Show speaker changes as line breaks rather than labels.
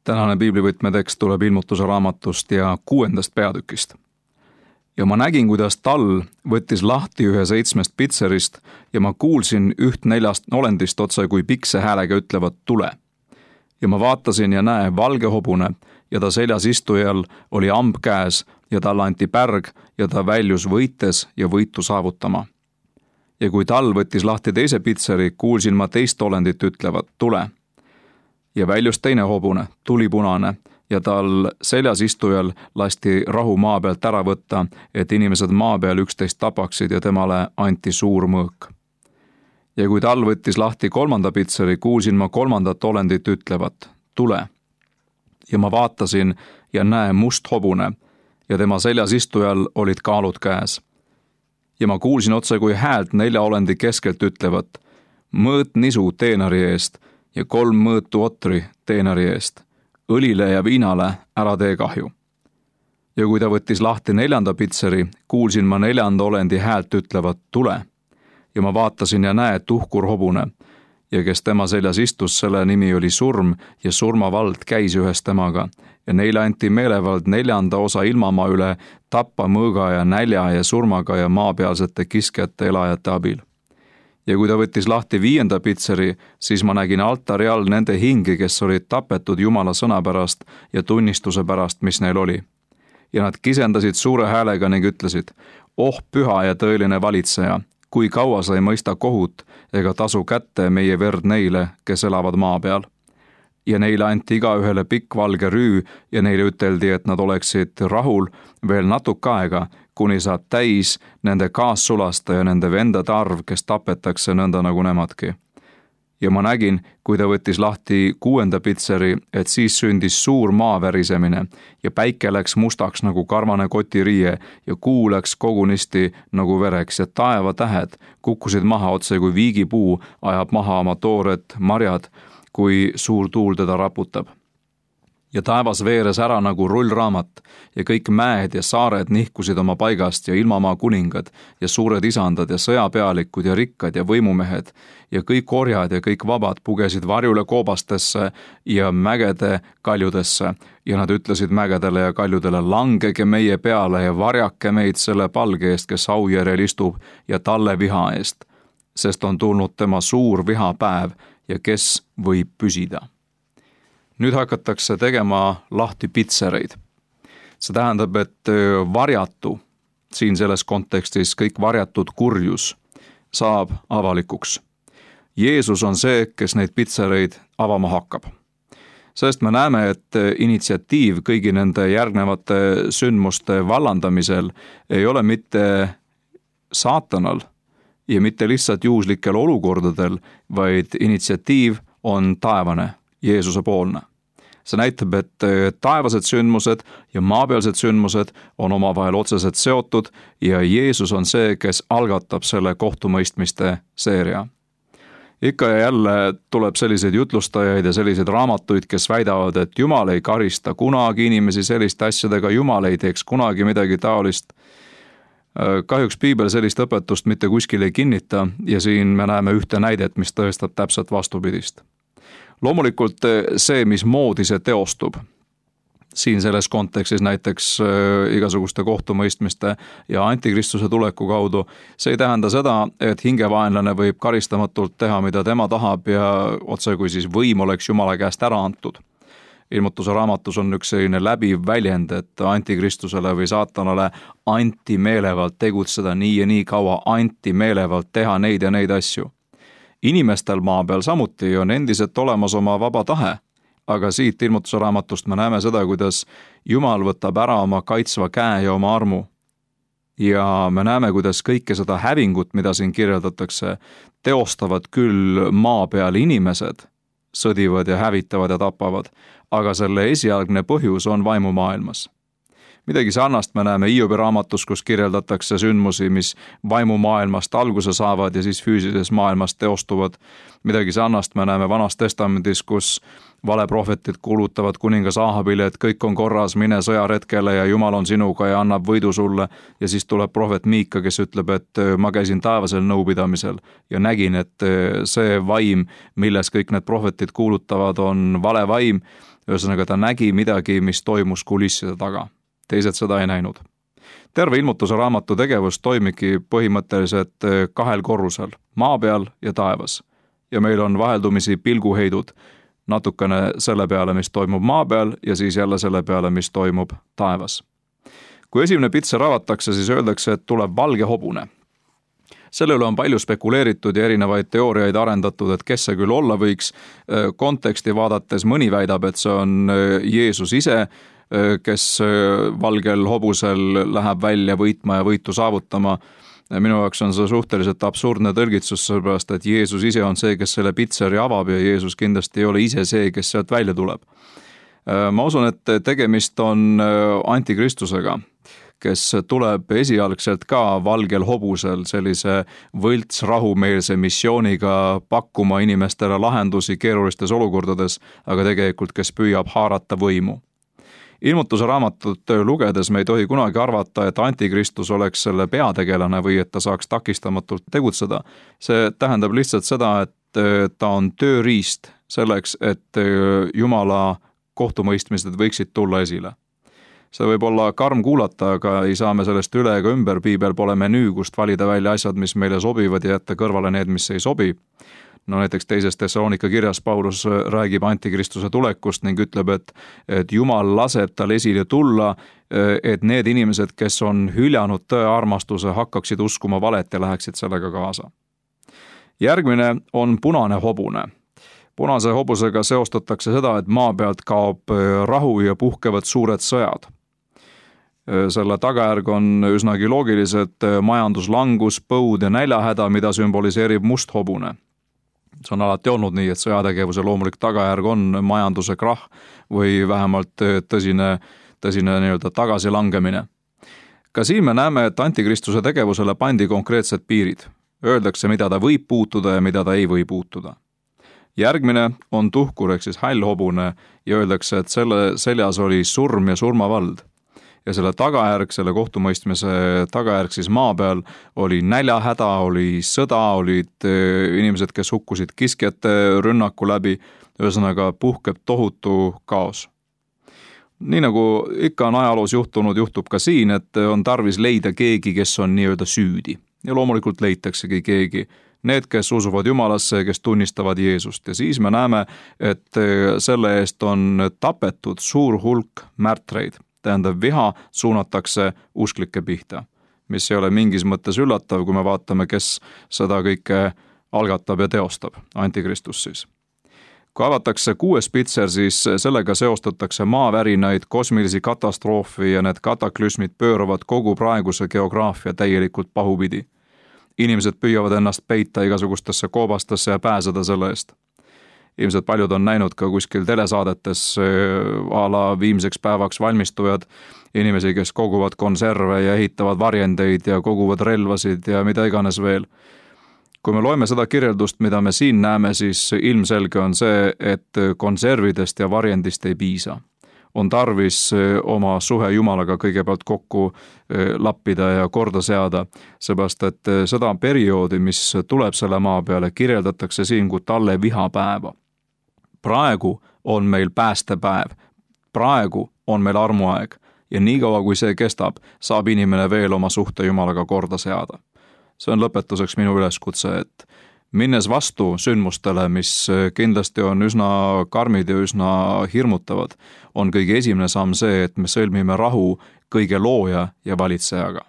Tänane piiblivõtmetekst tuleb Ilmutuse raamatust ja 6. peatükist. Ja ma nägin, kuidas tall võttis lahti ühe 7 pitserist ja ma kuulsin üht 4 olendist otse kui pikse häälega ütlevat tule. Ja ma vaatasin ja näe valge hobune ja ta seljas istujal oli amb käes ja talle anti pärg ja ta väljus võites ja võitu saavutama. Ja kui tall võttis lahti teise pitseri, kuulsin ma teist olendit ütlevat tule. Ja väljus teine hobune, tulipunane, ja tal seljas istujal lasti rahu maa pealt ära võtta, et inimesed maa peal üksteist tapaksid ja temale anti suur mõõk. Ja kui tall võttis lahti 3. pitseri, kuulsin ma 3. olendit ütlevat tule. Ja ma vaatasin ja näe must hobune ja tema seljas istujal olid kaalud käes. Ja ma kuulsin otse kui häält 4 olendi keskelt ütlevat mõõt nisu teenari eest ja 3 mõõtu otri teenari eest. Õlile ja viinale ära tee kahju. Ja kui ta võttis lahti 4. pitseri, kuulsin ma 4. olendi häält ütlevat tule. Ja ma vaatasin ja näe tuhkur hobune. Ja kes tema seljas istus, selle nimi oli surm ja surmavald käis ühes temaga. Ja neile anti meelevald 4. osa ilmamaa üle tappa mõõga ja nälja ja surmaga ja maapealsete kiskjate elajate abil. Ja kui ta võttis lahti 5. pitseri, siis ma nägin altari all nende hingi, kes olid tapetud Jumala sõna pärast ja tunnistuse pärast, mis neil oli. Ja nad kisendasid suure häälega ning ütlesid, püha ja tõeline valitseja, kui kaua sa ei mõista kohut ega tasu kätte meie verd neile, kes elavad maa peal. Ja neile anti igaühele pikk valge rüü ja neile üteldi, et nad oleksid rahul veel natuke aega, kuni saab täis nende kaassulasta ja nende vendade arv, kes tapetakse nõnda nagu nemadki. Ja ma nägin, kui ta võttis lahti 6. pitseri, et siis sündis suur maavärisemine ja päike läks mustaks nagu karvane kotiriie ja kuu läks kogunisti nagu vereks ja taevatähed kukkusid maha otse kui viigipuu ajab maha oma toored marjad, kui suur tuul teda raputab. Ja taevas veeres ära nagu rullraamat ja kõik mäed ja saared nihkusid oma paigast ja ilmamaa kuningad ja suured isandad ja sõjapealikud ja rikkad ja võimumehed ja kõik orjad ja kõik vabad pugesid varjule koobastesse ja mägede kaljudesse ja nad ütlesid mägedele ja kaljudele, langege meie peale ja varjake meid selle palge eest, kes aujärjel istub ja talle viha eest, sest on tulnud tema suur vihapäev ja kes võib püsida. Nüüd hakatakse tegema lahti pitsereid. See tähendab, et varjatu, siin selles kontekstis kõik varjatud kurjus, saab avalikuks. Jeesus on see, kes neid pitsereid avama hakkab. Sest me näeme, et initsiatiiv kõigi nende järgnevate sündmuste vallandamisel ei ole mitte saatanal ja mitte lihtsalt juhuslikel olukordadel, vaid initsiatiiv on taevane, Jeesuse poolne. See näitab, et taevased sündmused ja maapealsed sündmused on omavahel otseselt seotud ja Jeesus on see, kes algatab selle kohtumõistmiste seeria. Ikka ja jälle tuleb selliseid jutlustajaid ja selliseid raamatuid, kes väidavad, et Jumal ei karista kunagi inimesi selliste asjadega, Jumal ei teeks kunagi midagi taolist. Kahjuks piibel sellist õpetust mitte kuskil ei kinnita ja siin me näeme ühte näidet, mis tõestab täpselt vastupidist. Loomulikult see, mismoodi see teostub, siin selles kontekstis näiteks igasuguste kohtumõistmiste ja antikristuse tuleku kaudu, see ei tähenda seda, et hingevaenlane võib karistamatult teha, mida tema tahab ja otse kui siis võim oleks Jumala käest ära antud. Ilmutuse raamatus on üks selline läbiv väljend, et antikristusele või saatanale anti meelevalt tegutseda nii ja nii kaua, anti meelevalt teha neid ja neid asju. Inimestel maa peal samuti on endiselt olemas oma vaba tahe, aga siit Ilmutuse raamatust me näeme seda, kuidas Jumal võtab ära oma kaitsva käe ja oma armu. Ja me näeme, kuidas kõike seda hävingut, mida siin kirjeldatakse, teostavad küll maa peal inimesed, sõdivad ja hävitavad ja tapavad, aga selle esialgne põhjus on vaimumaailmas. Midagi sarnast me näeme Hiobi raamatus, kus kirjeldatakse sündmusi, mis vaimumaailmast alguse saavad ja siis füüsilises maailmas teostuvad. Midagi sarnast me näeme Vanas Testamendis, kus valeprohvetid kuulutavad kuningas Ahabile, et kõik on korras, mine sõjaretkele ja Jumal on sinuga ja annab võidu sulle. Ja siis tuleb prohvet Miika, kes ütleb, et ma käisin taevasel nõupidamisel ja nägin, et see vaim, milles kõik need prohvetid kuulutavad, on vale vaim. Ühesõnaga ta nägi midagi, mis toimus kulisside taga. Teised seda ei näinud. Terve ilmutuse raamatu tegevus toimibki põhimõtteliselt 2 korrusel, maa peal ja taevas. Ja meil on vaheldumisi pilguheidud natukene selle peale, mis toimub maa peal ja siis jälle selle peale, mis toimub taevas. Kui esimene pitser avatakse, siis öeldakse, et tuleb valge hobune. Selle üle on palju spekuleeritud ja erinevaid teooriaid arendatud, et kes see küll olla võiks. Konteksti vaadates mõni väidab, et see on Jeesus ise, kes valgel hobusel läheb välja võitma ja võitu saavutama. Minu jaoks on see suhteliselt absurdne tõlgitsus, sellepärast et Jeesus ise on see, kes selle pitseri avab ja Jeesus kindlasti ei ole ise see, kes sealt välja tuleb. Ma usun, et tegemist on antikristusega, kes tuleb esialgselt ka valgel hobusel sellise võlts rahumeelse missiooniga pakkuma inimestele lahendusi keerulistes olukordades, aga tegelikult kes püüab haarata võimu. Ilmutuse raamatut lugedes me ei tohi kunagi arvata, et antikristus oleks selle peategelane või et ta saaks takistamatult tegutseda. See tähendab lihtsalt seda, et ta on tööriist selleks, et Jumala kohtumõistmised võiksid tulla esile. See võib olla karm kuulata, aga ei saa me sellest üle ega ümber. Piibel pole menüü, kust valida välja asjad, mis meile sobivad ja jätta kõrvale need, mis ei sobi. No näiteks 2. Thessalonika kirjas Paulus räägib antikristuse tulekust ning ütleb, et Jumal laseb tal esile tulla, et need inimesed, kes on hüljanud tõe armastuse, hakkaksid uskuma valet ja läheksid sellega kaasa. Järgmine on punane hobune. Punase hobusega seostatakse seda, et maa pealt kaob rahu ja puhkevad suured sõjad. Selle tagajärg on üsnagi loogilised majanduslangus, põud ja näljahäda, mida sümboliseerib must hobune. See on alati olnud nii, et sõjategevuse loomulik tagajärg on majanduse krahh või vähemalt tõsine nii-öelda tagasilangemine. Ka siin me näeme, et antikristuse tegevusele pandi konkreetsed piirid. Öeldakse, mida ta võib puutuda ja mida ta ei või puutuda. Järgmine on tuhkur ehk siis hall hobune ja öeldakse, et selle seljas oli surm ja surmavald. Ja selle tagajärg, selle kohtumõistmise tagajärg siis maa peal oli näljahäda, oli sõda, olid inimesed, kes hukkusid kiskjate rünnaku läbi, ühesõnaga puhkeb tohutu kaos. Nii nagu ikka on ajaloos juhtunud, juhtub ka siin, et on tarvis leida keegi, kes on nii-öelda süüdi. Ja loomulikult leitaksegi keegi. Need, kes usuvad Jumalasse, kes tunnistavad Jeesust. Ja siis me näeme, et selle eest on tapetud suur hulk märtreid. Tähendab, viha suunatakse usklike pihta, mis ei ole mingis mõttes üllatav, kui me vaatame, kes seda kõike algatab ja teostab, antikristus siis. Kui avatakse 6. pitser, siis sellega seostatakse maavärinaid, kosmilisi katastroofi ja need kataklüsmid pööravad kogu praeguse geograafia täielikult pahupidi. Inimesed püüavad ennast peita igasugustesse koobastesse ja pääseda selle eest. Ilmselt paljud on näinud ka kuskil telesaadetes a la viimseks päevaks valmistujad, inimesi, kes koguvad konserve ja ehitavad varjendeid ja koguvad relvasid ja mida iganes veel. Kui me loeme seda kirjeldust, mida me siin näeme, siis ilmselge on see, et konservidest ja varjendist ei piisa. On tarvis oma suhe Jumalaga kõigepealt kokku lappida ja korda seada, seepärast et seda perioodi, mis tuleb selle maa peale, kirjeldatakse siin kui talle vihapäeva. Praegu on meil päästepäev, praegu on meil armuaeg ja niikaua kui see kestab, saab inimene veel oma suhte Jumalaga korda seada. See on lõpetuseks minu üleskutse, et minnes vastu sündmustele, mis kindlasti on üsna karmid ja üsna hirmutavad, on kõige esimene samm see, et me sõlmime rahu kõige looja ja valitsejaga.